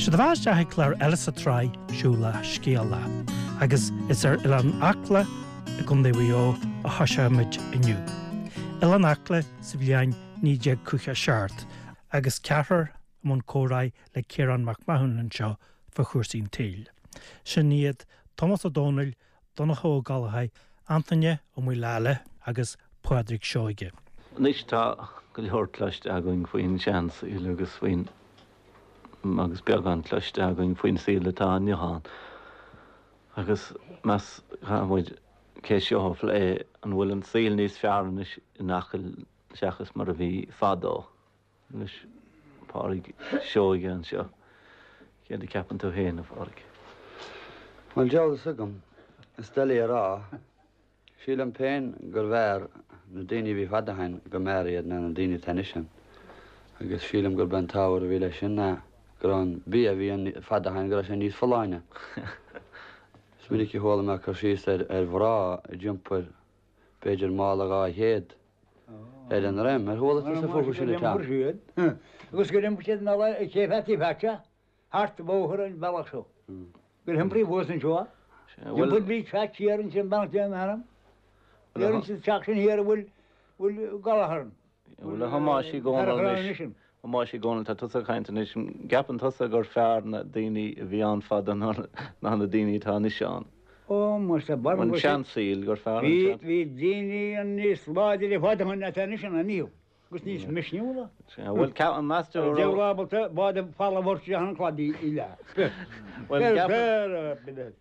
Sé do bheatha isteach ag clár eile sa tsraith Siúlach Scéalach agus is ar Oileán Acla i gContae Mhaigh Eo a thoiseoimid inniu. Oileán Acla sa bhliain 1957 agus ceathrar i mbun comhráidh le Ciarán Mac Mathúna anseo fá chúrsaí an tsaoil. Sin iad Tomás Ó Dónaill, Donncha Ó Gallchóir, Antaine Ó Maolaile agus Pádraig Seoige. Anois tá go leor cloiste againn faoin seansaol agus faoin agus beagán cloiste againn faoin saol atá inniu ann. Agus meas caithfidh muid ceist seo a phlé, an bhfuil an saol níos fearr anois in Acaill seachas mar a bhí fadó? Anois, Pádraig Seoige anseo. Céard a cheapann tú féin, a Phádraig? Bhuel, deabhal fhios agam. Is doiligh a rá. Sílim féin gurbh fhearr na daoine a bhí fada ó shin, go mb'fhearr iad ná na daoine atá anois ann. Agus sílim gurb é an t-ábhar a bhí leis sin ná go raibh an bia a bhí ann fada ó shin, go raibh sé níos folláine. Is minic a chuala mé cur síos ar mhná a d'iompair b'fhéidir mála 200 ar a ndroim. Ar chuala tusa fúthu sin a Tom? Agus gur iompaigh siad mála cé pheataí feaite thart bóthar an bealach seo. Gur iompaigh fós anseo. Iompaigh bhí teach thiar ansin beannacht Dé lena anam. Thiar ansin teach sin thiar a bhfuil bhfuil Gallagher. Bhuel, a Thomáis Uí Dhónaill anois, a Thomáis Uí Dhónaill, tá tusa ag caint anois, an gceapann tusa gur fearr na daoine a bhí ann fadó ná na daoine atá anois ann? Ó, más ea, barr an seansaol, gur fearr an sean. Bhí daoine an níos láidre fadó ó shin ná atá anois ann, ní agus níos misniúla. Sea, bhuel, ceap, meas tú a raibh. Diabhal ábalta bád folamh a thabhairt isteach an cladaigh i leath. Bhuel, ceapann.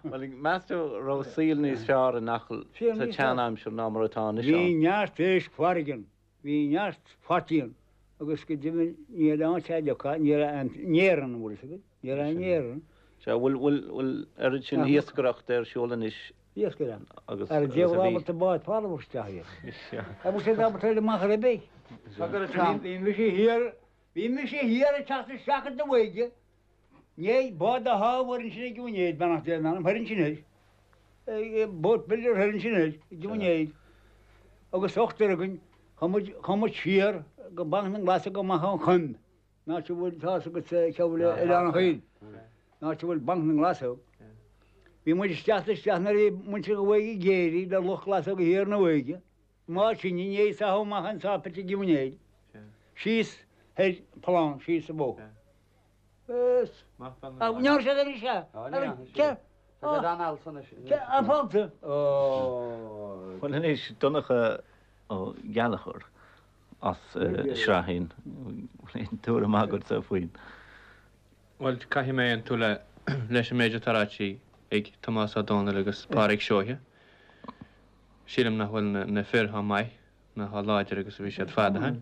Bhuel, meas tú an raibh saol níos fearr in Acaill sa tsean-aimsir ná mar atá anois ann? Bhí neart éisc farraige ann, bhí neart fataí ann agus go deimhin ní raibh aon teaghlach acu, ní raibh aon néar ann, an bhfuil fhios agat, ní raibh aon néar ann. Sea, bhfuil, bhfuil, bhfuil oiread sin iascaireachta ar siúl anois Iascaireacht. agus, Ar agus a bhí. ábalta bád folamh a thabhairt isteach iad. Sea. An bhfuil siad ábalta dul amach ar bith? Bhí mise thiar, bhí mise thiar ag teacht isteach i Dumhaigh Ní bád a shábh thoir ansin ag Dún Éid, beannacht Dé lena anam, thoir ansin thoir, boat builder thoir ansin thoir, ag Dún Éid. Agus ochtar againn, chuaigh muid, chuaigh muid siar go Banc na nGlasóg amach ón Choim, an áit a bhfuil, tá fhios agat, cá bhfuil Oileán an Chaoil, an áit a bhfuil Banc na nGlasóg. Bhí muid isteach isteach nuair a bhí muintir Dhumhaigh ag éirí le lucht glasóga thiar na Dumhaighe. I mbád sin i ndiaidh sáthadh amach an sáipit ag Dún Éid, síos thoir Pollán, síos an bóthar. Ní siad anois é. An fáilte. Bhuel anois, Donncha Ó Gallchóir as Sraithín, bhfuil aon tuairim agatsa faoin. Bhuel, caithfidh mé aontú leis an méid atá ráite ag Tomás Ó Dónaill agus Pádraig Seoighe. Sílim nach bhfuil na fir chomh maith ná chomh láidir agus a bhí siad fad ó shin.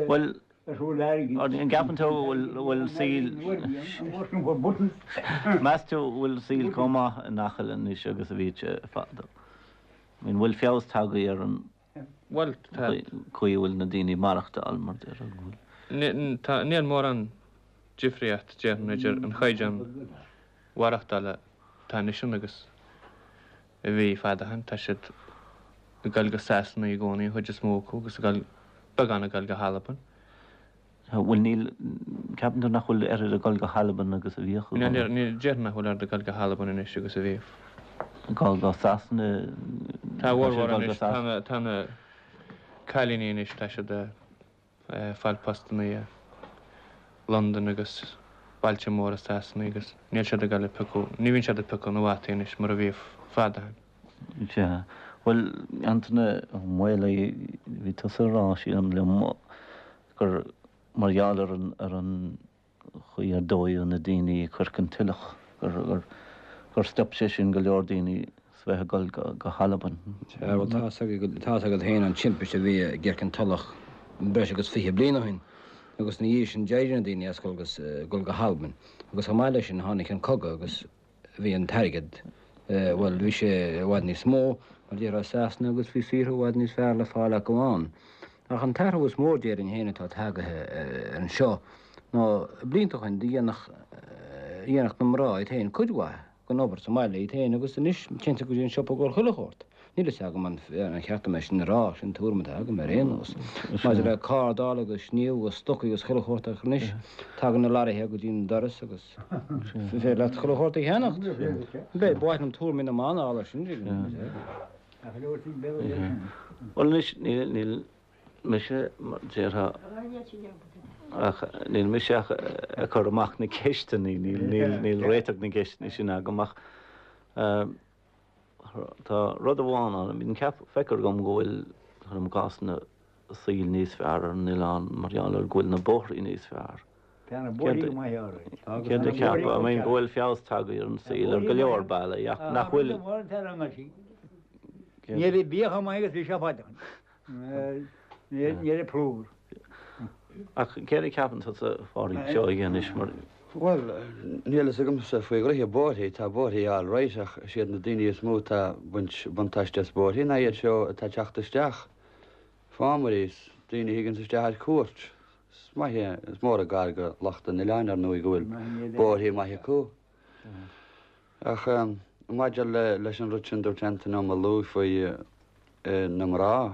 Bhuel, an gceapann tú go bhfuil saol, meas tú go bhfuil saol chomh maith in Acaill anois agus a bhí sé fadó? I mean, bhfuil feabhas tagtha ar an chaoi a bhfuil na daoine ag maireachtáil, mar déarfá, go bhfuil? Tá, níl mórán difríocht, déarfainn, idir an chaighdeán mhaireachtála atá anois ann agus a bhí fad ó shin. Tá siad ag dul go Sasana i gcónaí, an chuid is mó acu, agus ag dul, beagán ag dul go hAlbain. Bhuel, níl, ceapann tú nach bhfuil oiread ag dul go hAlbain agus a bhíodh ag dul? Níl, déarfainn nach bhfuil oiread ag dul go hAlbain anois agus a bhíodh. Ag dul go Sasana, Tá a bhformhór anois, tá na cailíní anois, tá siad a. fáil postanna i Londain agus bailte móra Sasana agus níl siad ag dul ag piocadh, ní bhíonn siad ag piocadh na bhfataí anois mar a bhíodh fad ó shin. Sea. Bhuel, Antaine Ó Maolaodha, bhí tusa ag rá, sílim, liom gur mar gheall ar an, ar an, chaoi ar dódh na daoine i Coirc an Tulach, gur stop sé sin go leor daoine as bheith ag dul go hAlbain. Sea, bhuel, tá's agat féin an timpiste a bhí i gCirc an Tulach breis agus 20 bliain ó shin, agus ina dhiaidh sin d'éirigh na daoine as dul go hAlbain, agus chomh maith leis sin tháinig an cogadh agus bhí an t-airgead, bhuel, bhí sé i bhfad níos mó, mar déarfá, i Sasana agus bhí saothar i bhfad níos fearr le fáil acu ann. Ach an t-athrú is mó, déarfainn féin, atá tagaithe anseo ná blianta ó shin do dhéanadh, dhéanadh na mná iad féin cuid mhaith den obair sa mbaile iad féin agus anois téann siad go dtí an siopa i gcomhair chuile shórt. Níl fhios agam an cheart dom é sin a rá ach sin tuairim atá agam ar aon nós. Maidir le cardáil agus sníomh agus stocaí agus chuile shórt ach anois tagann na lorraithe go dtí an doras agus féidir leat chuile shórt a cheannacht. Ba mhaith liom tuairimí na mban a fháil ar sin. Bhuel anois níl mise mar déarfá ach níl mise ach ag cur amach na ceisteanna, níl réiteach na gceisteanna sin agam ach Tá rud amháin ann, bíonn ceap, feictear dom go bhfuil, cuirim i gcás, an saol níos fearr ar an oileán mar gheall ar go bhfuil na bóithrí níos fearr. Tá na bóithrí go maith orthu. Céard a cheapfá? I mean go bhfuil feabhas tagtha ar an saol ar go leor bealaí ach nach bhfuil. Ní raibh bia chomh maith agus bhí sé fadó. Ní raibh plúr. Ach céard a cheapann tusa, a Phádraig Seoighe, anois mar. Bhuel, níl fhios agamsa faoi ghnoithe bóithrí, tá bóithrí all right ach is iad na daoine is mó atá ag baint buntáiste as bóithrí ná iad seo atá ag teacht isteach, fámairí is daoine a thigeanns isteach ar cuairt. Is maith é, is mór an gar do lucht an oileáin ar ndóigh go bhfuil bóithrí maithe acu. Ach maidir leis an rud sin dúirt Antaine Ó Maolúi faoi na mná,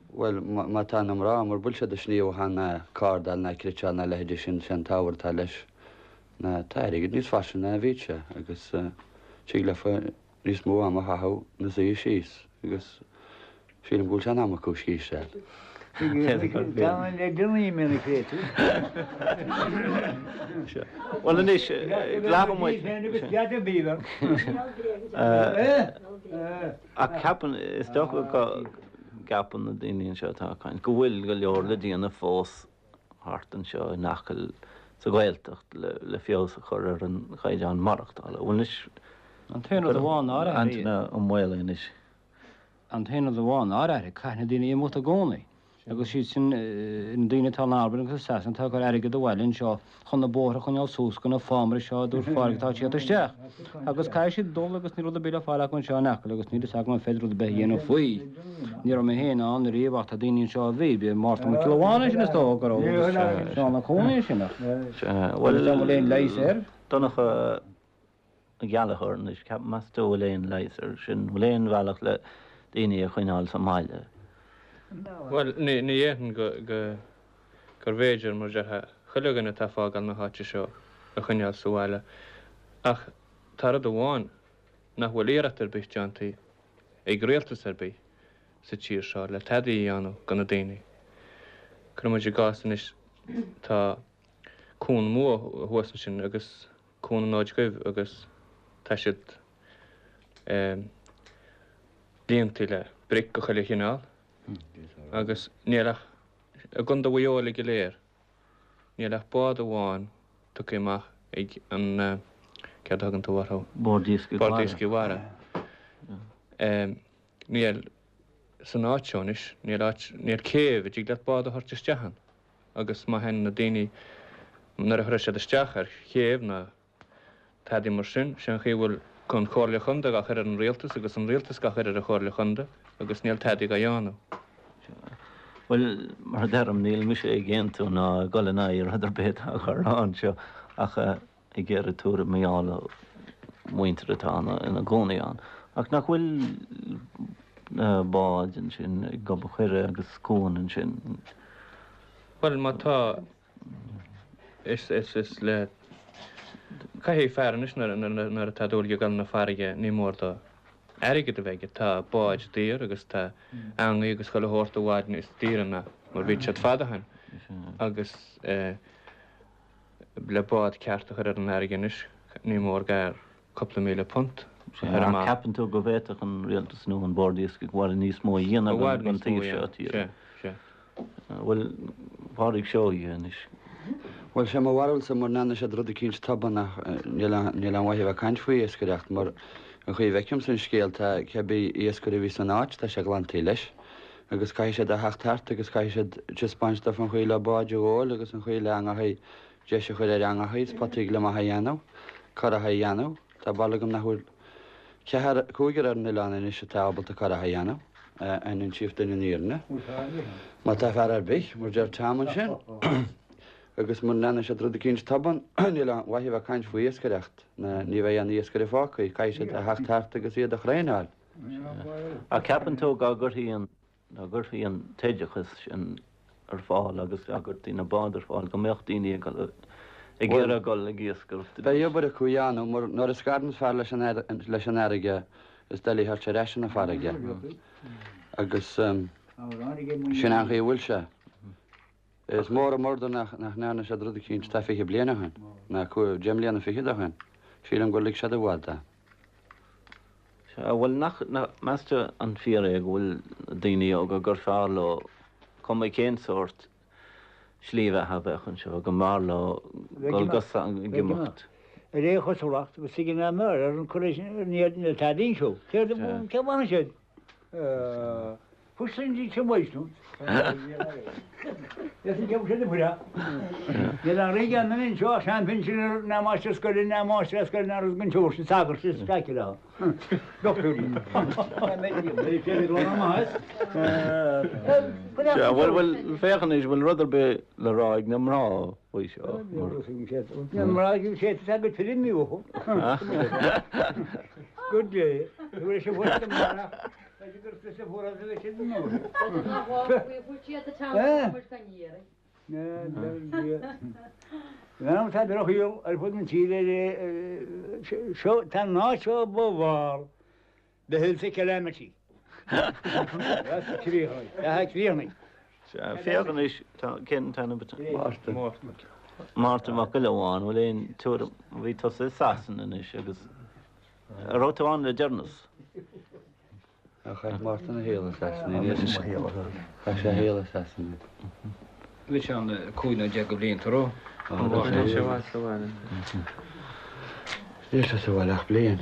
bhuel, má tá na mná, mura bhfuil siad ag sníomhachán ná cardáil ná cniotáil ná a leithéidí sin, sé an t-ábhar atá leis ná tá airgead níos fairsinge ná a bhíodh sé agus tig leofa níos mó ama a chaitheamh ina suí síos agus sílim go bhfuil sé in am acu scíth a fháil. Bhuel anois, glacann muid. Ach ceapann, is dócha go gceapann na daoine anseo atá ag caint go bhfuil go leor le déanamh fós thart anseo in Acaill sa Ghaeltacht le feabhas a chur ar an chaighdeán maireachtála. Bhuel anois, An t-aon rud amháin nár athraigh. Antaine Ó Maolaodha anois. An t-aon rud amháin nár athraigh, caithfidh na daoine imeacht i gcónaí. Agus siad sin na daoine atá in Albain agus i Sasana atá ag cur airgead abhaile anseo chun na bóithre a choinneáil suas do na fámairí seo a dúirt Pádraig atá ag tíocht isteach. Agus caithfidh siad dul agus níl rud ar bith le fáil acu anseo in Acaill agus níl fhios agam an féidir rud ar bith a dhéanamh faoi. Ní raibh mé féin ann ariamh ach tá daoine anseo a bhí. Bhí Mártan Mac Giolla Bháin ansin is dócha go raibh agus Seán Ó Cónaí ansin ach Bhuel, an bhfuil aon leigheas air? Donncha Ó Gallchóir anois, ceap, meas tú bhfuil aon leigheas air sin, bhfuil aon bhealach le daoine a choinneáil sa mbaile? Bhuel, ní dhéarfainn go, go, gurbh fhéidir, mar a déarfá, chuile dhuine atá ag fágáil na háite seo a choinneáil sa bhaile. Ach tá rud amháin nach bhfuil iarracht ar bith déanta ag rialtas ar bith sa tír seo le tada a dhéanamh do na daoine. Cuireann muid i gcás anois, tá cuan mór thuas ansin agus Cuan an Fhóid Dhuibh agus tá siad líonta le bric de chuile chineál agus níl ach, i gContae Mhaigh Eo uilig go léir, níl ach bád amháin tugtha amach ag an, céard a thugann tú orthu? Bord Iascaigh Mhara. Bord Iascaigh Mhara. Níl san áit seo anois, níl áit, níl céibh a dtig leat bád a thabhairt isteach ann. agus má théann na daoine, nuair a chuirfidh siad isteach ar chéibh ná tadaí mar sin, sé an chaoi a bhfuil an Chomhairle Chontae dhá chur ar an Rialtas agus an Rialtas dhá chur ar an Chomhairle Chontae agus níl tadaí dhá dhéanamh. Bhuel, mar a deirim, níl mise ag aontú ná ag dul in aghaidh rud ar bith atá á rá anseo ach ag iarraidh tuairim a fháil ó mhuintir atá ina gcónaí ann. Ach nach bhfuil báid ansin i nGob an Choire agus cuan ansin? Bhuel, má tá, is, is, is le, caithfidh fear anois nuair, nuair, nuair atá dúil aige dul 'na farraige, ní mór dó airgead a bheith aige. Tá báid daor agus tá eangaí agus chuile shórt i bhfad níos daoire ná mar bhí siad fad ó shin. Agus eh, Le bád ceart a chur ar an fharraige anois, ní mór d'fhear cúpla £1,000 a chur amach. Ceapann tú go bhféadfadh an rialtas nó an Bord Iascaigh Mhara níos mó a dhéanamh don taobh seo tíre? Sea, sea. Bhuel, Pádraig Seoighe anois. Bhuel, sé mo bharúilsa mura ndéanann siad rud eicínt tobann ach níl aon mhaith a bheith ag caint faoi iascaireacht mar an chaoi a bhfeicimse an scéal tá cibé iascaire a bhí san áit tá sé glantaí leis. agus caithfidh siad a theacht thart agus caithfidh siad taispeáint dóibh an chaoi le báid a ghabháil agus an chaoi le eangachaí deis a chur ar eangachaí is potaí gliomacha a dhéanamh, curacha a dhéanamh. Tá barúil agam nach bhfuil ceathrar, cúigear ar an oileán anois atá ábalta curach a dhéanamh, an insíodh duinn an fhírinne. Má tá fear ar bith, mar deir Tom ansin, agus mura ndéanann siad rud eicínt tobann, níl aon mhaith a bheith ag caint faoi iascaireacht, ná ní bheidh aon iascaire fágtha, caithfidh siad a theacht thart agus iad a thraenáil. Ach ceapann tú dá gcuirfí an, dá gcuirfí an t-oideachas sin ar fáil agus dá gcuirtí na báid ar fáil go mbeadh daoine ag dul, ag iarraidh dul ag iascaireacht. Beidh obair acu a dhéanamh mar nuair a scarann fear leis an leis an fharraige is doiligh theacht ar ais chun na farraige agus sin an chaoi a bhfuil sé. Is mór an murder nach ndearna siad rud eicínt tá 20 bliain ó shin, ná 10 mbliana fichead ó shin. Sílim gur lig siad i bhfad é. Sea, bhuel, nach, meas tú an fíor é go bhfuil daoine óga gur fearr leo, cuma cén sórt slí bheatha a bheadh anseo, go mb'fhearr leo dul go ag imeacht? Ar aon chosúlacht, agus tuigeann mé mar ar an cur níl tada anseo. Céard a bhaineann siad? Níl an ríg ann anseo ach seanphinsinéir ná máistir scoile ná máistir scoile ná rud den tsórt sin, sagart is peacaire ann. Dochtúirí. Bhuel, bhuel, féach anois, bhfuil rud ar bith le rá ag na mná faoi seo? Na mná, sé tá go tuilleadh uathu. Good day. Tá drochshaol ar fud na tíre seo tá an áit seo ba bharr the health calamity. Críochnaigh. Féach anois, cén t-ainm atá? Mártan. Mártan Mac Giolla Bháin, bhfuil aon tuairim, bhí tusa i Sasana anois agus An raibh tú ann le deireanas? Chaith Mártan a shaol i Sasana. Chaith sé a shaol i Sasana. Bhí sé ann 15 nó 10 de bhlianta, raibh? Níl sé i bhfad sa bhaile. Níl sé sa bhaile ach bliain.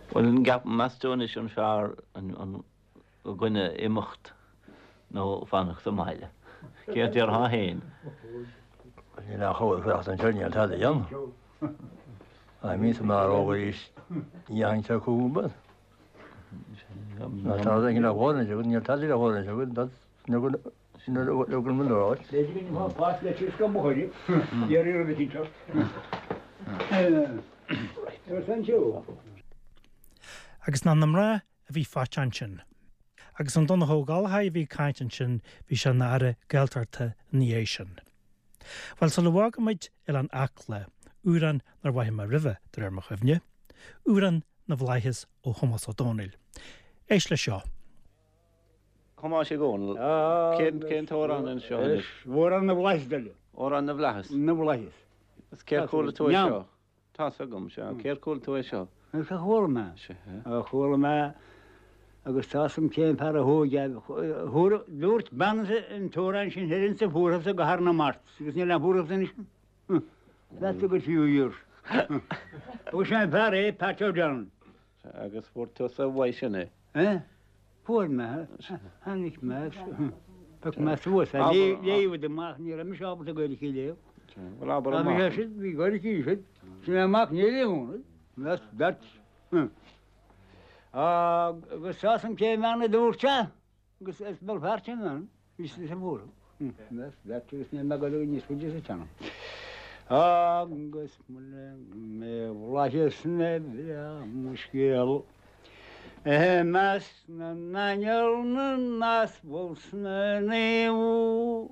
Bhuel, an gceapann, meas tú anois an fearr an do dhuine imeacht nó fanacht sa mbaile. Céard déarfá féin? Níl aon chomhair fanacht anseo, níl tada a dhéanamh. Ach míosa mar óg arís, ní dheachaigh sé chugam. Ná tá rud éigin le dhóthain anseo, níl tada le dhóthain anseo, nuair a go áit. B'fhéidir go ndéanfá pas le tír scamall chuige, iarraidh rud eicínt ort. Agus ná na mná a bhí faighte ansin. Agus an Donnchadh Ó Gallchóir a bhí ag caint ansin, bhí sé ina Aire Gaeltachta ina dhiaidh sin. Bhuel, sula bhfágaimid Oileán Acla, amhrán nár mhaith mé roimhe, de réir mo chuimhne, Amhrán na bhFlaitheas ó Thomás Ó Dónaill. Éist leis seo. Thomáis Uí Dhónaill, cén cén t-amhrán anseo anois? Amhrán na bhFlaitheas, deile. Amhrán na bhFlaitheas? Na bhFlaitheas. Is cér chuala tú é seo? Tá's agam, sea. Cér chuala tú é seo? Agus a chuala mé. Sea. A chuala mé agus tá's agam cén fear a thóg é. Dúirt bean an t-amhrán sin thoir insa Fuarthas i gCathair na Mart agus níl aon Fuarthas anois. That's a good few years. Agus sé an fear é, Pat O'Donnell. Sea, agus fuair tusa uaidh sin é? Eh? Fuair mé, tháinig mé, thug mé suas é, léigh amach, ní raibh mise ábalta Gaeilge a léamh. Bhuel, abair amach. Bhí sé sin, bhí Gaeilge aici sin, sin é amach, ní léamh, that's, that's, agus tá's agam cén bhean a dúirt sé. Agus is beag fear sin ann, bhí sé sa bhfuath. Bheart agus níl mé ag dul níos faide sa teanga. Agus mé bhflaitheas na breá mo scéal. I measc na n-aingeal na n-aspal 's na naomh.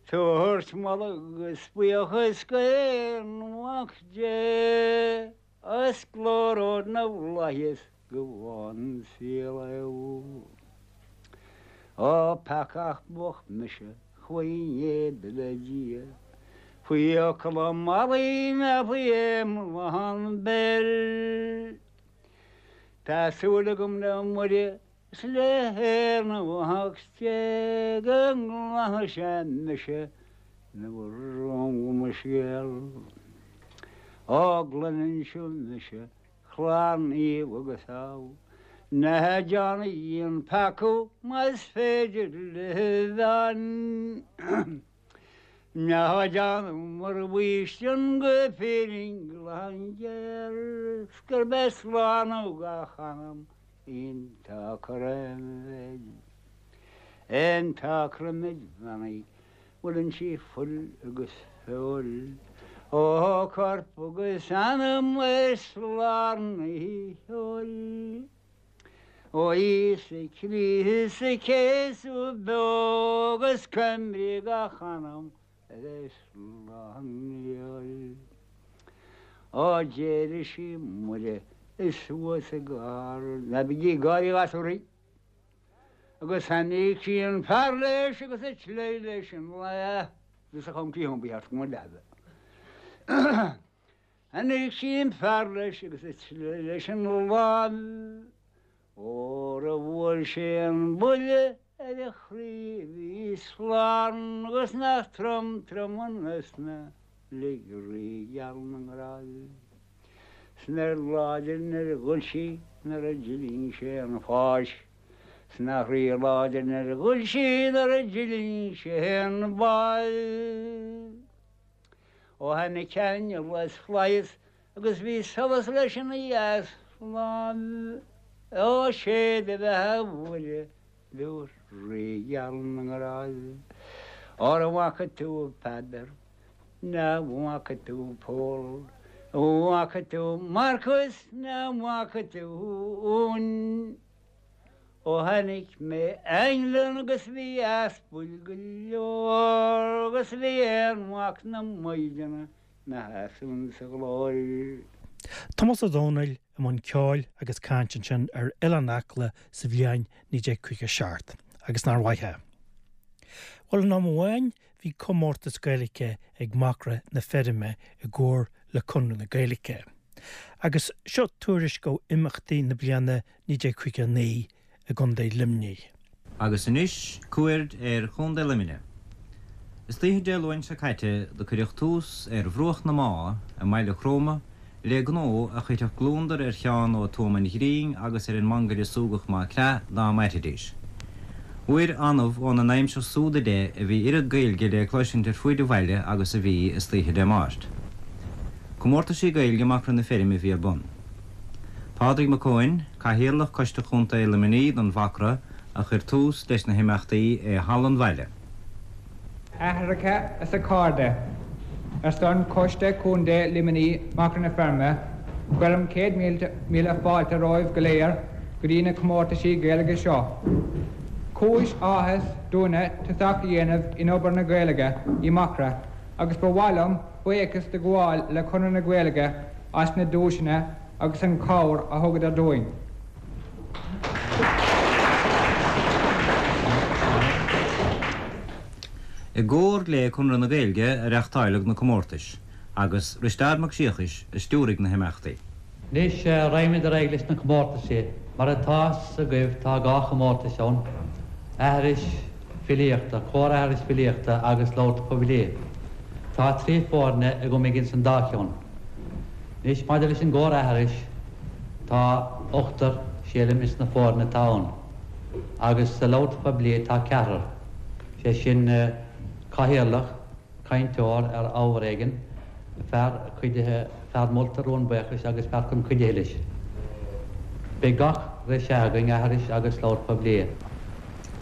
Tabhairt moladh agus buíochas go hAon-Mhac Dé. As glóir na bhflaitheas go bhfán saol Ó peacach bocht mise chuaigh in éad le Dia Faoi fhocal i malaí ná faoi aon béil Tá súil agam le Muire 's le hAon Mhac Dé go nglanfaidh sé mise nuair mo scéal. Ó glanann sibh mise clár Naomh agus Ádhamh, ná déanaigí aon peacadh más féidir libh Ná déanamh mar bhfaoistean go fírinne glan géar 's gurb é slánú gach anam an tsacraimid. An tsacraimid bheannaithe bhfuileann sí fuil agus feoil. Ó corp agus anam ar slán a cheoil. Ó Íosa Críost a céasadh beo agus coimirigh gach anam ar slán a cheoil. Ó deireadh sí Muire suas ag gáire, ná bígí ag gáire a ghasúraí. Agus tháinig sí an fear leis agus a tsligh leis an lá agus a chum sí thumbaí thart go mo leaba. Tháinig sí an fear leis agus a tsligh leis an lá óra a bhuail sé an buille ar a chroí a bhí slán agus nach trom trom an osna lig Rí geal na nGrád. 'S nár láidir nuair a ghoil sí nuair a d'fhuiling sé an pháis 'S nach rí láidir nuair a ghoil sí nuair a d'fhuiling sé an bháis Ó tháinig aingeal as Flaithis agus bhí solas leis ina dheasláimh Ó sé do bheatha Mhuire bhiodh Rí geal na nGrád Óra bhfaca tú a Pheadair Ná bhfaca tú Pól, an bhfaca tú Marcas, ná bhfaca tú Eoin. Ó tháinig mé ainlean agus bhí aspail go leor agus bhí Aonmhac na Maighdeana 'na sheasamh sa ghlóir. Tomás Ó Domhnaill i mbun ceoil agus caint ansin ar Oileán Acla sa bhliain 1957, agus nár mhaith é? Bhuel, in am amháin bhí comórtas Gaeilge ag Macra na Feirme i gcomhar le Conradh na Gaeilge. Agus seo tuairisc ó imeachtaí na bliana 1959 i gContae Luimnigh. Agus anois cuaird ar Chontae Luimnigh. Istoíche Dé Luain seo caite do cuireadh tús ar bhruach na mBá i mBaile Chromtha le gnó a chuirfeadh gliondar ar Sheán Ó Tuama an Ghrinn agus ar an mangaire Súgach Mac Craith dá mairfidís. Uair annamh óna n-aimsir súd i leith a bhí oiread Gaeilge le cloisint ar fuaid an bhaile agus a bhí istoíche Dé Máirt. Comórtaisí Gaeilge Macra na Feirme a bhí ar bun. Pádraig Mac Eoin, Cathaoirleach Coiste Chontae Luimnigh don Mhacra a chuir tús leis na himeachtaí i Halla an Bhaile. Aithreacha is a chairde, Ar son Choiste Contae Luimnigh Macra na Feirme, cuirim 100,000 fáilte romhaibh go léir go dtí na comórtaisí Gaeilge seo. Cúis áthais dúinne tosach a dhéanamh in obair na Gaeilge i Macra agus ba mhaith liom buíochas do ghabháil le Conradh na Gaeilge as na duaiseanna agus an chabhair a thugadar dúinn. I gcomhar le Conradh na Gaeilge a reachtáileadh na comórtais, agus Risteárd Mac Siacais a stiúraigh na himeachtaí. Anois, raghaimid ar aghaidh leis na comórtaisí. Mar atá fhios agaibh tá dá chomórtais ann, aithris filíochta, comhar-aithris filíochta agus labhairt poiblí. Tá trí foirne ag imeacht ins an dá cheann. Anois, maidir leis an gcomhar-aithris, tá ochtar, sílim, ins na foirne atá ann, agus sa labhairt phoiblí tá ceathrar, sé sin, cathaoirleach, cainteoir ar ábhar éigin, fear cuidithe, fear molta rún buíochais agus fear chun cuidithe leis. Beidh gach re sea againn, aithris agus labhairt poiblí.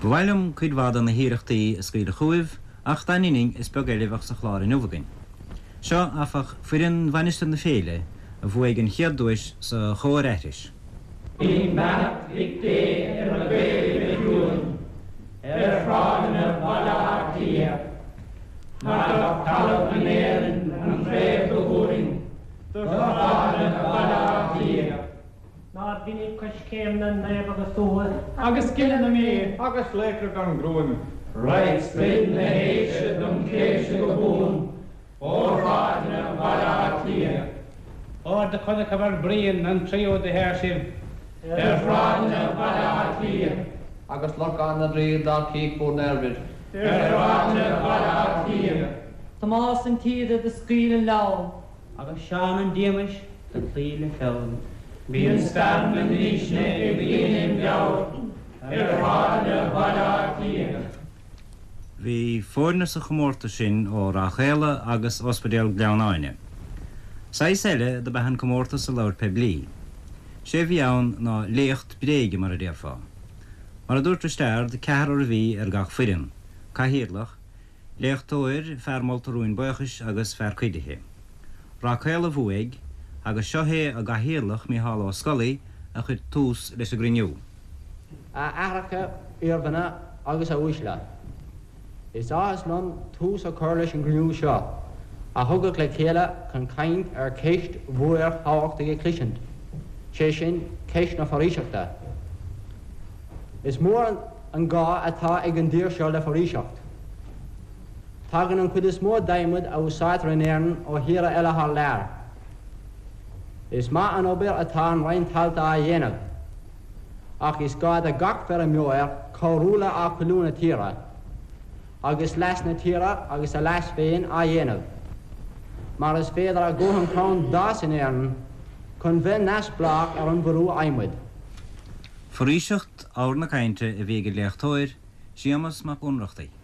Ba mhaith liom cuid mhaith de na hiarrachtaí a scaoileadh chugaibh, ach dá ndeininn, is beag eile a bheadh sa chlár inniu againn. Seo, áfach, foireann Mhainistir na Féile a bhuaigh an chéad duais sa chomhar-aithris. Bíonn beannacht Mhic Dé ar na Gaeil go ciúin ar shráideanna Bhaile Átha Cliath, mar do talamh na nÉireann an chraobh do thabharfainn do shráideanna Bhaile Átha Cliath. Nár mhinic coiscéim na naomh agus uath. Agus gile na Mí. Agus laochra gan gruaim. Raghaidh sprid na haoise dom chléibhse go buan ó shráideanna Bhaile Átha Cliath. Óir do chonaiceamar Brian an tríú de sheir sibh. Ar shráideanna Bhaile Átha Cliath. Agus Lorcán na dTriall dár cích bhur n-oirbhir. Ar shráideanna Bhaile Átha Cliath. Tomás an tSíoda do scaoil an leabhar. Agus Seán an Díomais do chloígh le feall. Bíonn speir na ndísne ag daoine im mheabhair ar shráideanna Bhaile Átha Cliath. Bhí foirne sa chomórtas sin ó Rath Caola agus Ospidéal Ghleann Fháinne. Saghas eile do b'ea an comórtas sa labhairt poiblí. Sé a bhí ann ná léacht bréige mar a déarfá. Mar a dúirt Risteard, ceathrar a bhí ar gach foireann, cathaoirleach, Léachtóir, fear molta rúin buíochais agus fear cuidithe. Rath Caol a bhuaigh agus seo é a gcathaoirleach Micheál Ó Scolaí a chuir tús leis an gcruinniú. A aithreacha oirmhinne agus a uaisle, Is áthas liom tús a chur leis an gcruinniú seo, a tugadh le chéile chun caint ar cheist mhór thábhachtach a chloisint, sé sin, ceist na foraoiseachta. Is mór an gá atá ag an dtír seo le foraoiseacht. Tagann an chuid is mó d'adhmad a úsáidtear in Éirinn ó thíortha eile thar lear. Is maith an obair atá an Roinn Tailte á dhéanamh. Ach is gá do gach feirmeoir cabhrú le athchóiriú na tíre, agus leas na tíre agus a leas féin á dhéanamh, mar is féidir a dhóthain crann d'fhás in Éirinn chun bheith neamhspleách ar onnmhairiú adhmaid. Foraoiseacht ábhar na cainte a bhí ag an léachtóir, Séamas Mac Ionnrachtaigh.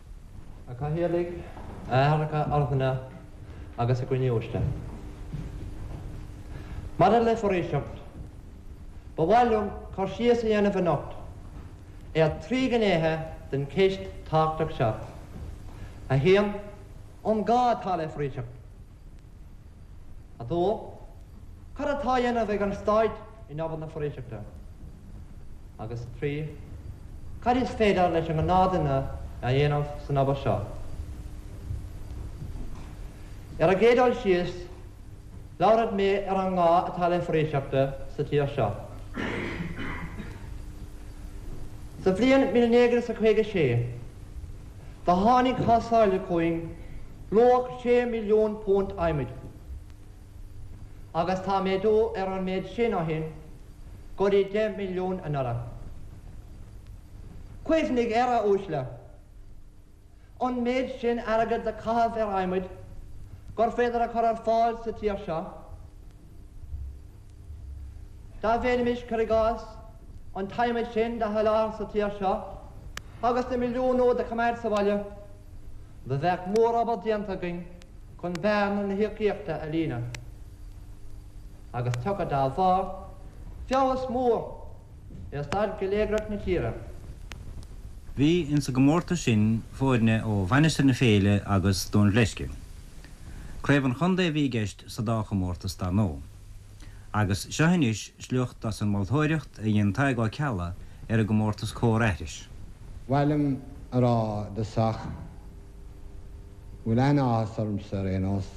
A Chathaoirligh, a Aithreacha Oirmhinne agus a dhaoine uaisle. Maidir le foraoiseacht, Ba mhaith liom cur síos a dhéanamh anocht ar thrí ghnéithe den cheist tábhachtach seo. 1, An gá atá le foraoiseacht. 2, Cad atá á dhéanamh ag an Stáit in obair na foraoiseachta? Agus 3, Cad is féidir leis an ngnáthdhuine a dhéanamh san obair seo? Ar an gcéad dul síos, Labharfaidh mé ar an ngá atá le foraoiseachta sa tír seo. Sa bhliain 1956, do tháinig thar sáile chugainn luach £6 milliún adhmaid, agus tá méadú ar an méid sin ó shin go dtí 10 milliún anuraidh. Cuimhnigh air, a uaisle! an méid sin airgid a chaitheamh ar adhmaid gur féidir a chur ar fáil sa tír seo. Dá bhféadfaimis, cuir i gcás, an t-adhmad sin do sholáthar sa tír seo agus na milliúin úd a choimeád sa bhaile, do bheadh mórobair déanta againn chun bearna na híocaíochta a líonadh, agus tiocfadh dá bharr feabhas mór ar staid gheilleagrach na tíre. Bhí ins an gcomórtas sin foirne ó Mhainistir na Féile agus Dún Bhleisce. Craobh an Chontae a bhí i gceist sa dá chomórtas dar ndóigh. Agus seo anois sliocht as an moltóireacht a dhein Tadhg Ó Ceallaigh ar an gcomórtas cór-aithris. Mhaith liom a rá i dtosach go bhfuil an-áthas ormsa ar aon nós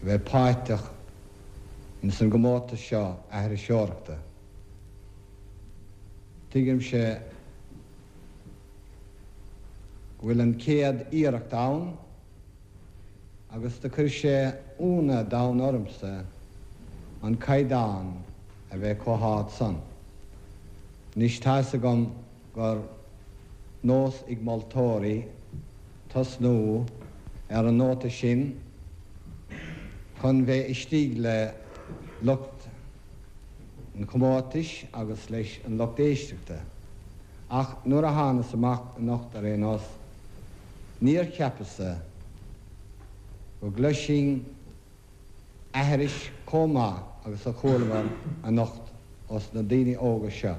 a bheith páirteach ins an gcomórtas seo aithriseoireachta. Tuigimse go bhfuil an chéad iarracht ann agus do chuir sé ionadh domhain ormsa an caighdeán a bheith chomh hard san. Anois tá fhios agam gur nós ag moltóirí tosnú ar an nóta sin chun bheith istigh le lucht an chomórtais agus leis an lucht éisteachta. Ach nuair a thánas amach anocht ar aon nós, níor cheapas-sa go gcloisfinn aithris chomh maith agus a chualamar anocht ós na daoine óga seo.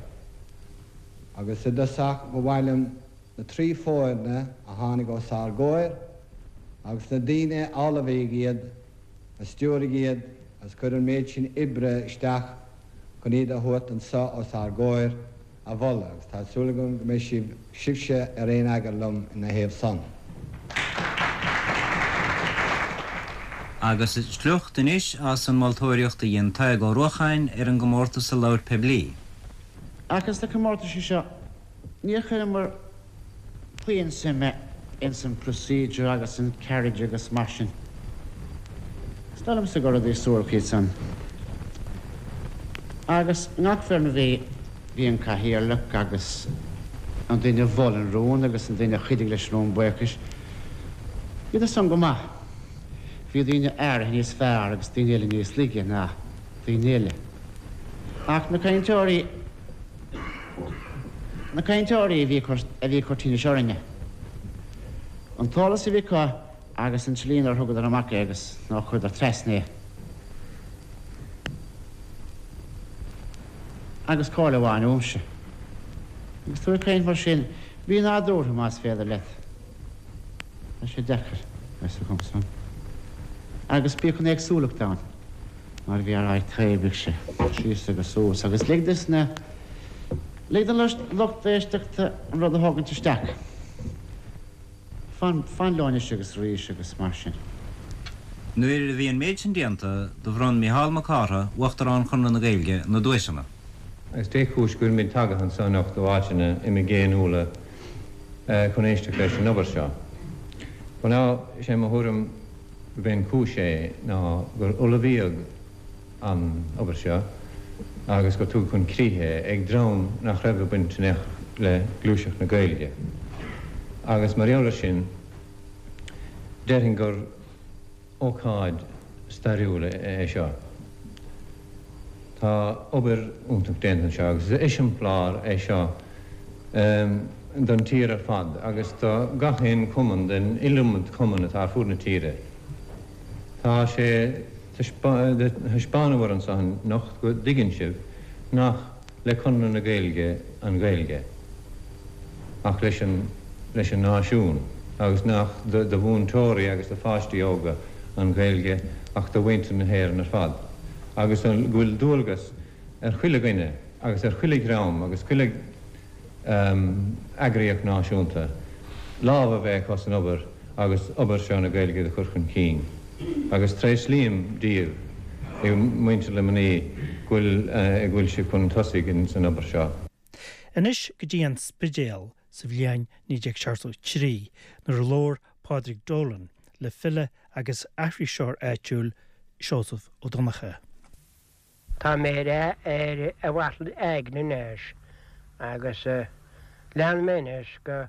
Agus i dtosach ba mhaith liom na tri foirne a tháinig os ár gcomhair agus na daoine a ullmhaigh iad, a stiúraigh iad agus chuir an méid sin oibre isteach chun iad a thabhairt anso os ár gcomhair, a mholadh, agus tá súil agam go mbeidh sibh, sibhse ar aon eagar liom ina thaobh san. Agus sliocht anois as an moltóireacht a dhein Tadhg Ó Ruacháin ar an gcomórtas sa labhairt poiblí. Ach sna comórtaisí seo, níor chuireamar puinn suime ins an procedure agus an carriage agus mar sin. Is dóigh liomsa gur rudaí suarach iad san. Agus i ngach foireann a bhí, bhí an cathaoirleach agus an duine a mhol an rún agus an duine a chuidigh leis an rún buíochais. Bhíodar san go maith. Bhí daoine áirithe níos fearr agus daoine eile níos laige ná daoine eile. Ach na cainteoirí. Na cainteoirí a bhí a bhí ag cur tinnis orainne. An t-eolas a bhí acu agus an tslí inar thugadar amach é agus nár chuireadar trasna é. Agus comhairle amháin uaimse. Agus tú ag caint mar sin, bí nádúrtha más féidir leat. Tá sé deacair, arsa Thompson. Agus bíodh an éagsúlacht ann. Mar a bhí ar aghaidh taobhaigh sé síos agus suas agus lig dos na, lig don lucht éisteachta an rud a thógaint isteach. Fan, fan leo anois agus arís agus mar sin. Nuair a bhí an méid sin déanta, do bhronn Micheál Mac Cártha, Uachtarán Chonradh na Gaeilge, na duaiseanna. Agus dé chúis go bhfuilimid tagtha anso anocht ó áiteanna imigéiniúla chun éisteacht leis an obair seo? Bhuel now, sé mo thuairim gurb é an chúis é ná gur ullmhaíodh an obair seo agus gur tugadh chun críche é ag dream nach raibh ag baint in aon chor le gluaiseacht na Gaeilge. Agus mar gheall air sin, déarfainn gur ócáid stairiúil é seo. Tá obair iontach déanta anseo agus is eiseamláir é seo don tír ar fad agus do gach aon chumann den iliomad cumann atá ar fud na tíre. Tá sé thaispeánamar anseo anocht go dtuigeann sibh nach le Conradh na Gaeilge an Ghaeilge ach leis an leis an náisiún agus nach do mhúinteoirí agus do pháistí óga an Ghaeilge ach do mhuintir na hÉireann ar fad agus go bhfuil dualgas ar chuile dhuine agus ar chuile dhream agus chuile eagraíocht náisiúnta lámh a bheith acu san obair agus obair seo na Gaeilge do chur chun cinn. Agus tréaslaím daoibh, a mhuintir Luimnigh, go bhfuil go bhfuil sibh chun tosaigh san obair seo. Anois go dtí an Spidéal sa bhliain 1973 nuair a labhair Pádraig Dolan le file agus aithriseoir áitiúil Seosamh Ó Donnchadha. Tá mé ar ar a bhaicle aigne anois agus leanfaidh mé anois go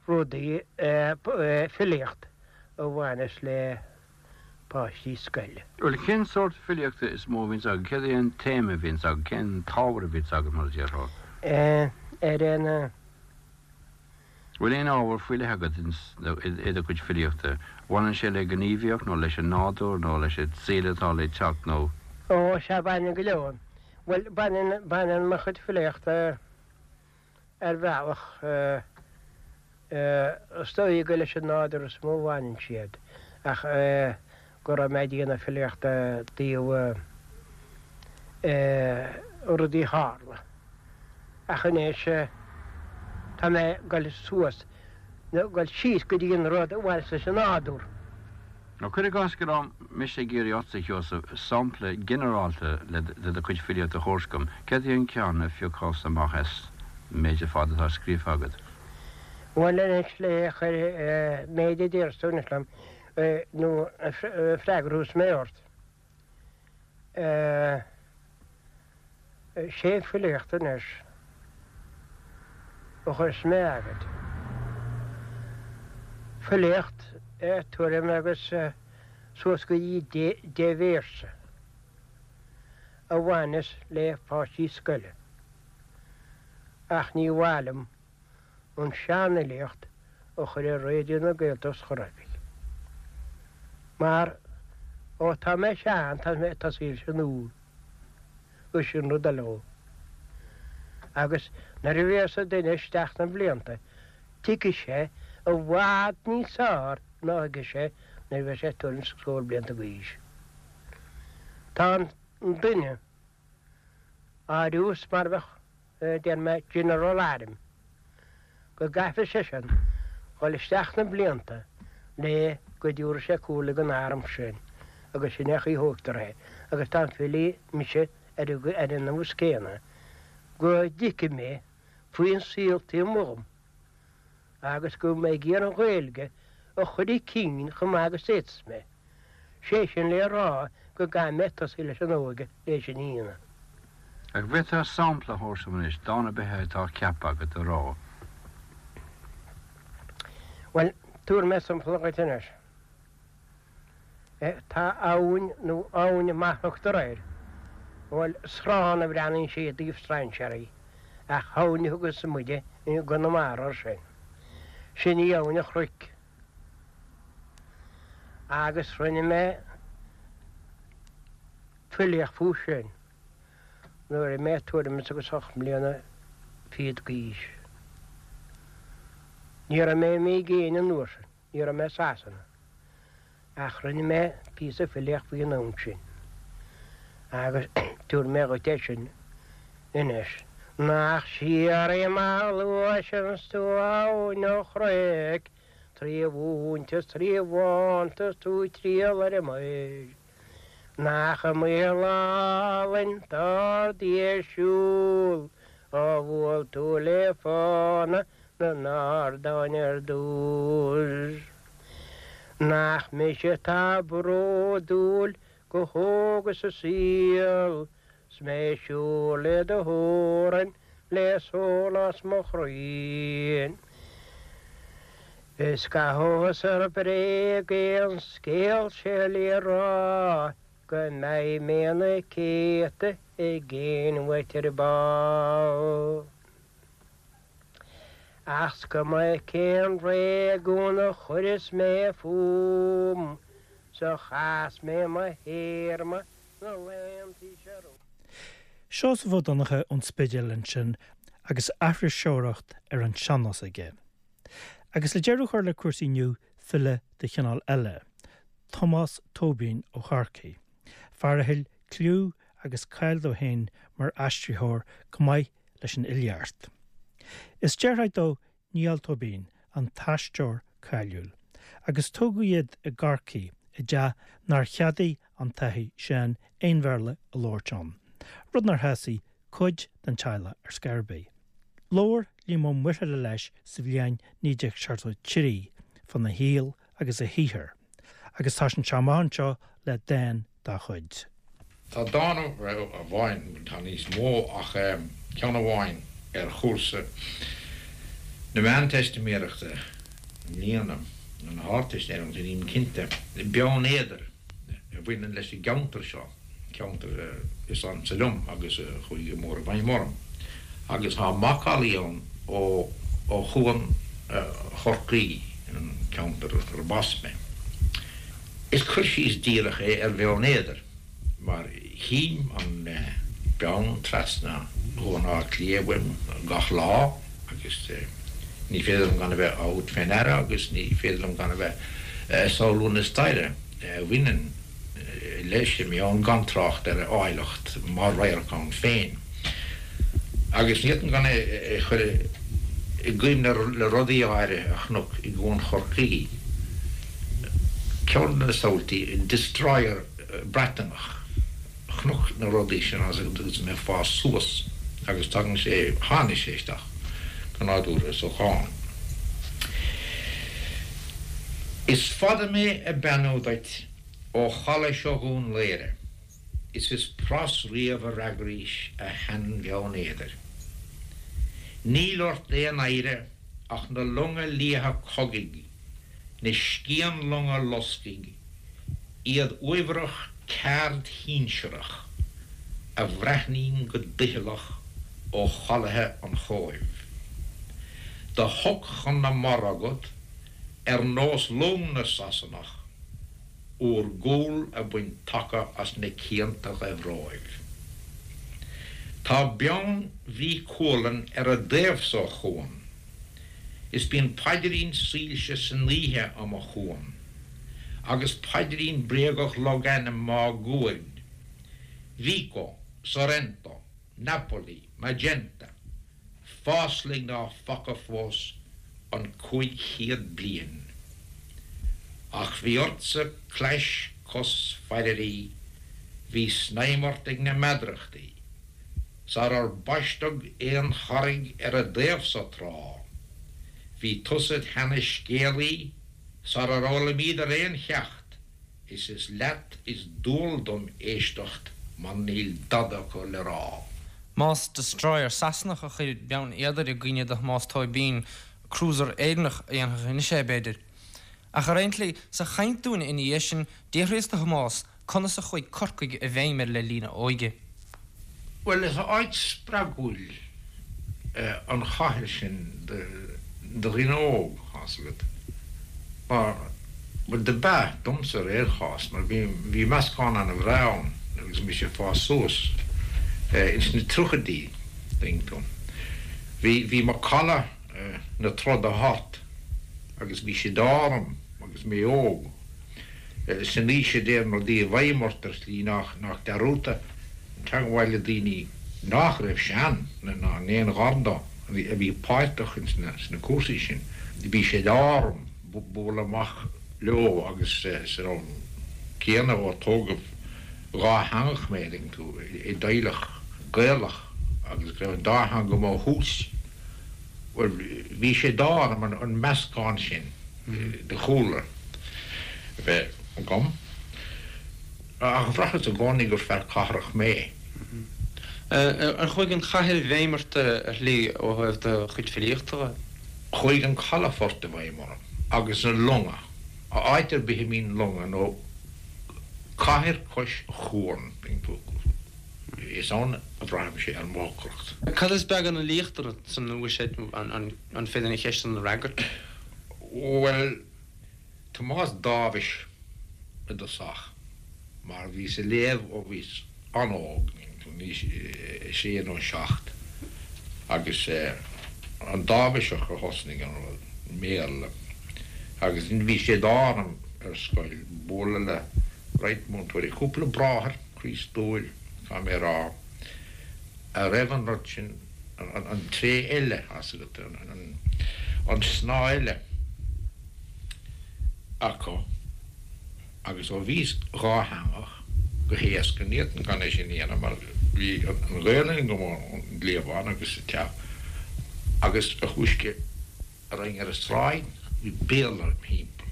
rudaí filíocht a bhaineas le páistí scoile. Bhuel, cén sórt filíochta is mó a bhíonns agat? Céard é an téama a bhíonns agat? Cén t-ábhar a bhíonns agat, mar a déarfá? Ar an. Bhfuil aon ábhar faoi leith agat i do chuid filíochta? Bhaineann sé le gníomhaíocht nó leis an nádúr nó leis an saol atá le teacht nó. Ó, sea, baineann go leor. Bhuel, baineann, baineann mo chuid filíochta ar bhealach, is dóigh gur leis an nádúr is mó a bhaineann siad ach go raibh mé ag déanamh filíochta i dtaobh rudaí a tharla. Ach anois tá mé ag dul suas, nó ag dul síos go dtí an rud a bhaineas leis an nádúr. Nó cuir i gcás go raibh mise ag iarraidh ortsa, a Sheosaimh, sampla ginearálta de do chuid filíochta a thabhairt dom, céard é an ceann a phiocfása amach as an méid ar fad atá scríofa agat? Bhuel anois le chur méid a déarfas tú anois liom, nó an freagra a thabharfas mé ort. Sé an filíocht anois a chuirfeas mé agat. Filíocht tuairim agus suas go dtí 10 véarsa a bhaineas le páistí scoile. Ach ní mhaith liom an seanfhilíocht a chur ar Raidió na Gaeltachta chor ar bith. Mar, ó tá mé sean, tá mé ag tosaí leis an úr. Agus sin rud eile dhó. Agus nuair a bhéas an duine isteach sna blianta, tuigfidh sé i bhfad níos fearr ná a thuigfeadh sé nuair a bheas sé tuairim is scór blianta d'aois. Tá an duine áiriús mar a bheadh deir mé, Ginearál Airm, go gcaithfidh seisean dhul isteach sna blianta le go dtabharfaidh sé cúl ag an arm sin agus sin é an chaoi a thóigtear é agus tá an file, mise, ar an nós céanna, go dtuigfidh mé faoin saol taobh amuigh dhom agus go bhfuil mé ag iarraidh an Ghaeilge a chur i cinn chomh maith agus a fhéadfas mé. Sé sin le rá go gcaithfidh mé tosaí leis an óige le sin a dhéanamh. Ach bhféadfá sampla a thabhairt dom anois, dán ar bith atá ceaptha agat a rá? Bhuel, tabharfaidh mé sampla dhuit anois. Tá abhainn nó abhainn mar a thugtar air, bhuel, sruthán a bhreathnaíonn sé i dtaobh strainséirí, ach abhainn a thugas muide i gConamara air sin. Sin í Abhainn an Chnoic. Agus rinne mé filíocht fúithi sin nuair a bhí mé tuairim is agus 8 mbliana fichead d'aois. Ní raibh mé imithe i gcéin an uair sin, ní raibh mé i Sasana, ach rinne mé píosa filíocht faoin abhainn sin. Agus tabharfaidh mé dhuit é sin anois. Nach síoraí mar a ghluaiseanns tú a abhainn an chnoic, 3 mhóinte is 3 bhfánta is tú ag triall ar an muir. Nach i mbaol álainn d'ardaithe ar siúl ó bhuail tú le fána na n-ardán ar dtús. Nach mise atá bródúil go hóg sa saol 's mé ag siúl le do theorainn le sólás mo chroí. Is gabhas ar bréag é an scéal seo le rá go mbeidh mé na céadta i gcéin uait ar ball. Ach 's cuma cén réigiún a chuireas mé fúm 's a chas mé mo théarma na laethantaí seo romham. Seosamh Ó Donnchadha ón Spidéal ansin agus aithriseoireacht ar an sean-nós aige. Agus le deireadh a chur le cúrsaí inniu, file de chineál eile, Tomás Tóibín ó Chorcaigh, fear a thuill cliú agus cáil dó féin mar aistritheoir chomh maith leis an fhilíocht. Is deartháir dó Niall Tóibín, an t-aisteoir cáiliúil, agus tógadh iad i gCorcaigh i dteach nár cheadaigh an t-athair Seán aon Bhéarla a labhairt ann, rud nár shásaigh cuid den teaghlach ar scor ar bith. Labhair Liam Ó Muirthile leis sa bhliain 1973 fána shaol agus a shaothar, agus tosaíonn sé amach anseo le dán dá chuid. Tá dán amháin, tá níos mó ach ceann amháin ar chúrsa na Meánteistiméireachta i mbliana, nó na hArdteistiméireachta, nílim cinnte, Beann Éadair, a bhaineann leis an gceantar seo, ceantar is ansa liom agus a chuaigh go mór i bhfeidhm orm. Agus tá macallaí ann ó Chuan Chorcaí, an ceantar arb as mé. Is cur síos díreach é ar Bheann Éadair, mar chím an beann trasna Chuan Átha Cliath uaim gach lá agus ní féidir liom gan a bheith á thabhairt fé ndeara agus ní féidir liom gan a bheith ag samhlú na staire a bhaineann leis an mbeann, gan trácht ar a áilleacht mar radharc ann féin. Agus ní fhéadfainn gan é a chur i gcuimhne le rudaí áirithe a chonac i gCuan Chorcaí. Ceann de na samhaltaí, destroyer Breataineach. Chonac na rudaí sin agus mé ag fás suas agus tagann sé, tháinig sé isteach go nádúrtha sa dhán. Is fada mé ag beannú duit ó chaladh seo Dhún Laoghaire. Is is pras riamh a fhreagraís a shean-Bheann Éadair. Níl ort aon oidhre ach na longa liatha cogaidh, na scianlonga loscaidh, iad uaibhreach ceard-shinsearach, a bhreathnaíonn go doicheallach ó chalaithe an Chóibh. Do shoc chun na mara agat ar nós long na Sasanach, Bhur gcúl a' baint taca as na cianta ghaibh romhaibh. Tá beann Mhíc Cualann ar a dtaobh-sa chuan, is bíonn paidrín soilse san oíche á mo chuan, agus paidrín bréagach logainm máguaird, Vico, Sorrento, Napoli, Magenta. Fáslaigh ná faca fós an 500 bliain. Ach bhí ortsa clais cos faireoirí, bhí snaidhm ort ag na meadrachtaí, sarar baisteadh aon charraig ar a dtaobh-sa trá. Bhí tusa id sheana-scéalaí sarar fhoghlaimíodar aon cheacht, Is is leat is dual dom éisteacht mar níl dada acu le rá. Más destroyer Sasanach a chuir Beann Éadair i gcuimhne do Thomás Tóibín, cruiser Éireannach a dhéanfadh anois é, b'fhéidir. Ach ar aon tslí, sa chaint dúinn ina dhiaidh sin, d'fhiafraíos de Thomás conas a chuaigh Corcaigh i bhfeidhm air le linn a óige. Bhuel, is áit spreagúil an chathair sin do dhuine óg, tá's agat. Mar, bhuel, do b'ea domsa ar aon chás, mar bhí, bhí meascán ana-bhreá ann agus mise ag fás suas ins na tríochaidí, tuigeann tú. Bhí, bhí macalla na troda thart agus bhí siad orm agus mé óg. San aois a dtéann rudaí i bhfeidhm ort ar shlí nach, nach dearúdta. Teagmháil le daoine nach raibh sean ná in aon ghar dó, a bhí páirteach ins na cúrsaí sin. Bhí sé d'ádh orm bualadh amach leo agus san am céanna ó tógadh dhátheangach mé, an dtuigeann tú, i dteaghlach Gaelach agus go raibh an dá theanga agam ó thús. Bhuel, bhí sé d'ádh orm an meascán sin de chúlra a bheith agam. Ach bhraitheas i gcónaí gur fear cathrach mé. Ar chuaigh an chathair i bhfeidhm ort ar shlí ó thaobh do chuid filíochta de? Chuaigh an calafort i bhfeidhm orm, agus na longa. Áit ar bith a mbíonn longa nó cathair cois chuan, is ann a bhraithimse ar mo shocracht. Cad a spreag an fhilíocht ionat san uair an féidir an cheist san a fhreagairt? Bhuel, Tomás Dáibhis i dtosach, mar bhíos ag léamh ó bhíos an-óg, in aois a sé nó a 7, agus an Dáibhiseach a thosnaigh an rud, i mBéarla, agus bhí sé d'ádh orm ar scoil bualadh le roinnt múinteoirí, cúpla bráthair Críostúil, caithfidh mé a rá, a raibh an rud sin, an tréith eile, tá 's agat, an snáth eile acu agus ó bhíos dhátheangach go héasca, ní fhéadfainn gan é sin a dhéanamh mar bhí an Ghaelainn agam ón gcliabhán agus sa teach agus a thúisce a raghainn ar an sráid, bhí Béarla im thimpeall.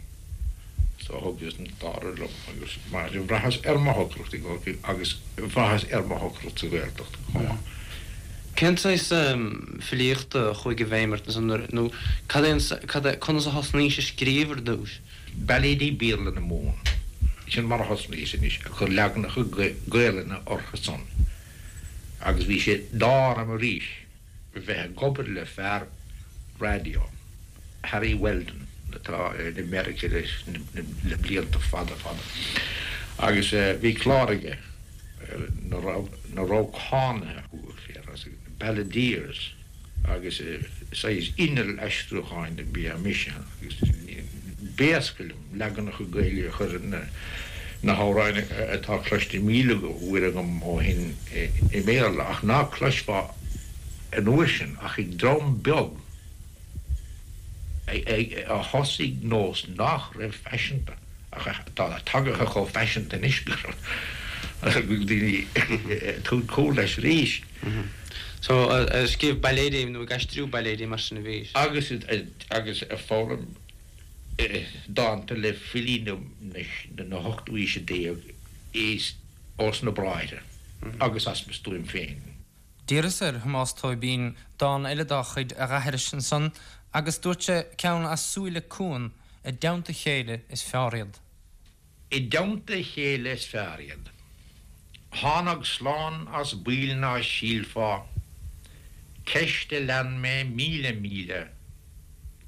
So thugas an t-ádh liom agus mar sin bhraitheas ar mo shocracht i gCorcaigh agus bhraitheas ar mo shocracht sa Ghaeltacht chomh maith. Cén saghas filíochta a chuaigh i bhfeidhm ort ansan nuair, nó cad é an, cad é, conas a thosnaís ag scríobh ar dtús? Bailéidí Béarla na Mumhan, sin mar a thosnaíos anois, ag cur leaganacha Gaelainne orthu san agus bhí sé d'ádh orm arís bheith ag obair le fear raidió, Harry Weldon, atá in Meiriceá le blianta fada fada, agus bhí clár aige, na Rócánaithe a thugadh sé air, na Balladeers, agus saghas inneall aistriúcháin a bhí mise, agus b'éasca liom leaganacha Gaeilge a chur ar na hamhráin atá cloiste 1000 uair agam ó shin i mBéarla, ach ná cloisfeá an uair sin ach ag dream beag a thosaigh nós nach raibh faiseanta ach atá tagaithe chomh faiseanta anois go bhfuil daoine ag tabhairt cúl leis arís. So, ag scríobh bailéidí nó ag aistriú bailéidí mar sin a bhís? Agus agus ag foghlaim dánta le filí na hochtú haoise déag is ós na bráithre agus as mo stuaim féin. D'iarras ar Thomás Tóibín dán eile dá chuid a dh'aithris ansan agus dúirt sé ceann as Súile Cuan, I dteannta chéile is fearr iad. I dteannta a chéile is fearr iad. Thánag slán as baol ná sílfeá, ceist a lean mé míle míle,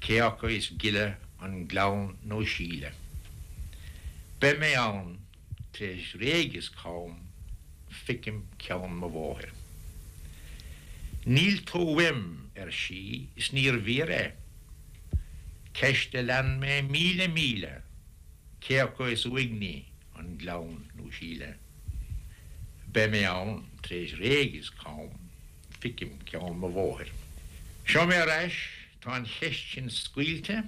cé acu is gile an gleann nó Síle. Beidh mé ann tar éis réidh is cam, feicim ceann mo bhóthair. Níl tú uaim, ar sí, is níorbh fhíor é. Ceist a lean mé míle míle, Cé acu is uaigní, an gleann nó Síle? Beidh mé ann tar éis réidh is cam, feicim ceann mo bhóthair. Seo mé ar ais, tá an cheist sin scaoilte,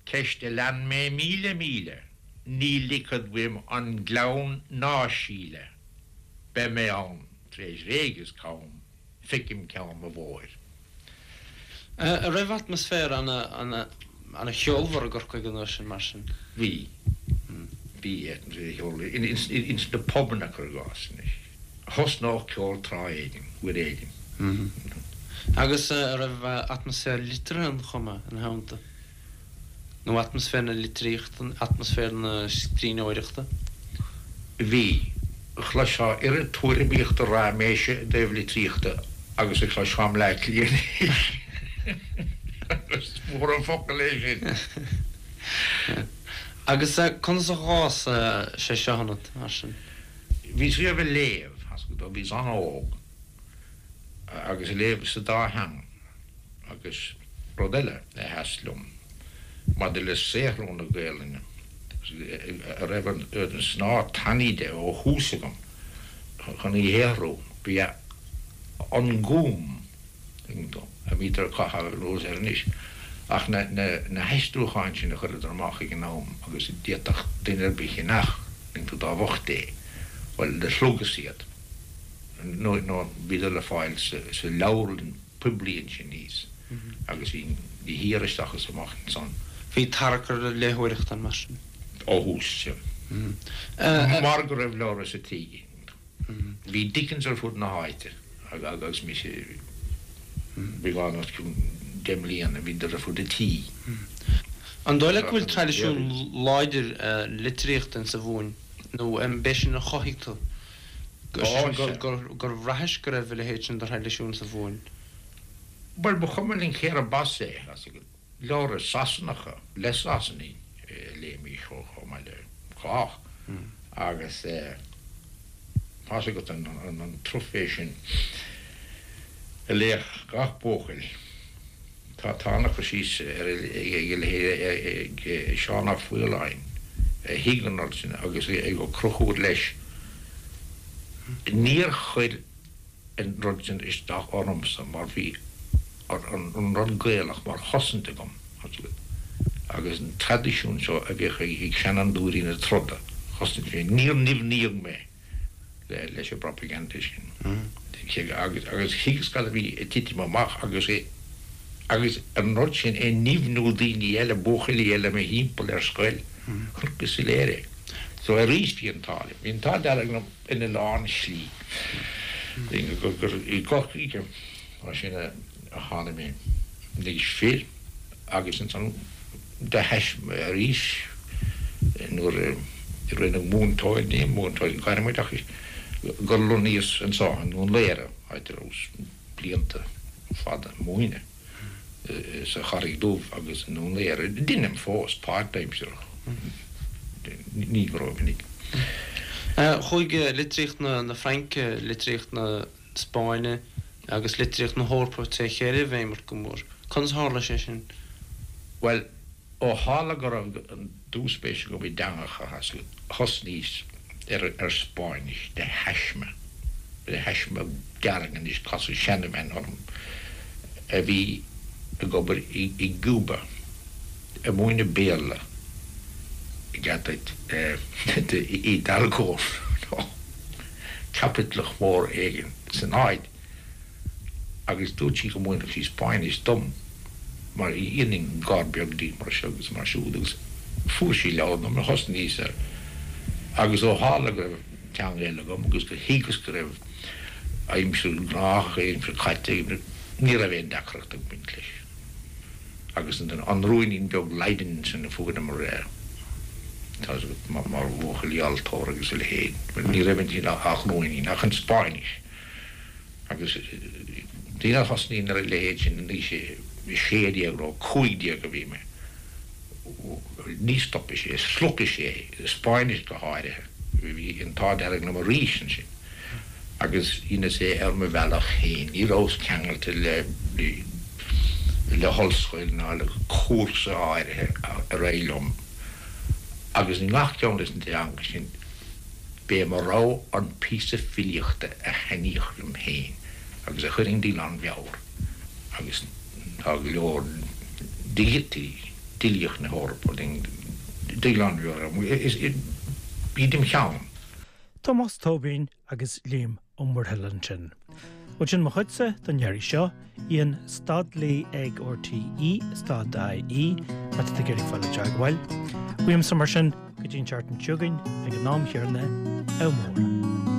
ceist a lean mé míle míle, ní ligfead uaim an gleann ná Síle. Beidh mé ann tar éis réidh is cam, feicim ceann mo bhóthair. An raibh atmaisféar ana-cheolmhar i gCorcaigh an uair sin, mar sin? Bhí. Bhí atmaisféar cheolmhar ins na pubanna, cuir i gcás anois. Thosnódh ceol tráth éigin, uair éigin. Agus an raibh atmaisféar liteartha ann chomh maith ina theannta? Nó atmaisféar na litríochta, atmaisféar na scríbhneoireachta? Bhí. Chloisfeá oiread tuairimíochta raiméise i dtaobh litríochta agus a chloisfeá i mBleá Cliath anois. Is mór an focal é sin. Agus conas a dh'fhás sé seo ionat, mar sin? Bhíos riamh ag léamh, ó bhíos an-óg, agus ag léamh sa dá theanga. Agus rud eile a sheas liom maidir le saothrú na Gaelainne, a raibh an snáth tanaí de ó thús agam. chun í a shaothrú. B'é an Gúm, tuigeann tú, a mbítear ag caitheamh anuas air anois. Ach na haistriúcháin sin a chuireadar amach ag an am agus a d'fhéadfadh duine ar bith a cheannach, tuigeann tú, dá bhoichte é, bhuel, do shlogas iad. Nó bhíodar le fáil sa leabharlann poiblí ansin thíos agus bhínn de shíor isteach is amach ansan. Bhí tarrac ar an léitheoireacht ann mar sin? Ó thús, sea. Mar go raibh leabhra sa tigh. Bhí Dickens ar fud na háite agus mise beagán os cionn 10 mbliana, bhíodar ar fud an tí. An dóigh leat go bhfuil traidisiún láidir litríochta insa Mhumhain nó an b'é sin a chothaigh tú? Gur bhraithis go raibh a leithéid sin de thraidisiún sa Mhumhain? Bhuel, ba chuma linn cérb as é. Leabhra Sasanacha le Sasanaigh a léimís chomh maith le cách agus tá's agat an truifé sin a léadh gach buachaill. Tá an-chur síos air ag a leithéid ag Seán Ó Faoláin a thuig an rud sin agus ag Ó Conchúir leis. Níor chuir an rud sin isteach ormsa mar bhí an rud Gaelach mar chosaint agam agus an traidisiún seo a bhíodh ag seanfhondúirí na troda, chosain sé. Níor nimhníodh mé leis an bpropaganda sin agus thuigeas cad a bhí ag titim amach agus é agus an rud sin ag nimhniú daoine eile, buachaillí eile i mo thimpeall ar scoil. Chonac go soiléir é. So arís bhí an t-ádh liom. Bhí an t-ádh dearg liom ina lán slí. Gur i gCorcaigh mar sin a tháinig mé níos fir agus ansan de thaisme arís nuair a rinneadh múinteoir, ní múinteoir gairmiúil ach gur lonnaíos anso i nDún Laoghaire, áit a rabhas blianta fada ag múineadh sa Charraig Dhubh agus i nDún Laoghaire. Deinim fós, páirtaimsearach, ní go rómhinic. Chuaigh litríocht na Fraince, litríocht na Spáinne agus litríocht na hEorpa tré chéile i bhfeidhm ort go mór. Conas a tharla sé sin? Bhuel, ó tharla go raibh an dúspéis agam i dteangacha, thosnaíos ar Spáinnis de thaisme, de thaisme dearg anois, casadh seanbhean orm a bhí ag obair i gCuba, ag múineadh Béarla i gceart duit, i Hidalgo nó caipitleach mór éigin san áit agus dúirt sí go múinfeadh sí Spáinnis dom mar dhéanfainn gar beag di mar seo agus mar siúd agus fuair sí leabhar dom a thosnaíos air agus ó tharla go raibh teanga eile agam agus gur thuigeas go raibh aimsir ghnách, aimsir chaite, ní raibh aon deacracht ag baint leis. Agus an ruainnín beag Laidin sin a fuaireamar air, tá 'fhios agat, mar bhuachaillí altóra agus a leithéid, ní raibh inti ach ruainnín, ach an Spáinnis. Agus daoine a thosnaíonn ar a leithéid sin in aois a 16 nó 15 a bhí mé, ní stopfaidh sé, slogfaidh sé é, Spáinnis go háirithe. Bhí an t-ádh dearg liom arís ansin. Agus dheineas é ar mo bhealach féin. Ní rabhas ceangailte le le hollscoil ná le cúrsa áirithe ar aghaidh liom. Agus i ngach ceann des na teangacha sin, b'é mo rogha an píosa filíochta a thaitníodh liom féin agus a chuirfinn de ghlanmheabhair. Agus tá go leor de ghiotaí d'fhilíocht na hEorpa de ghlanmheabhair agam. Iad im cheann. Tomás Tóibín agus Liam Ó Muirthile ansin. Bhuel sin mo chuidse don iarraidh seo. Ian Stadley ag RTÉ stad IE má tá tú ag iarraidh fáil i dteagmháil. Uaimse mar sin go dtí an tseachtain seo chugainn ag an am chéanna, ádh mór.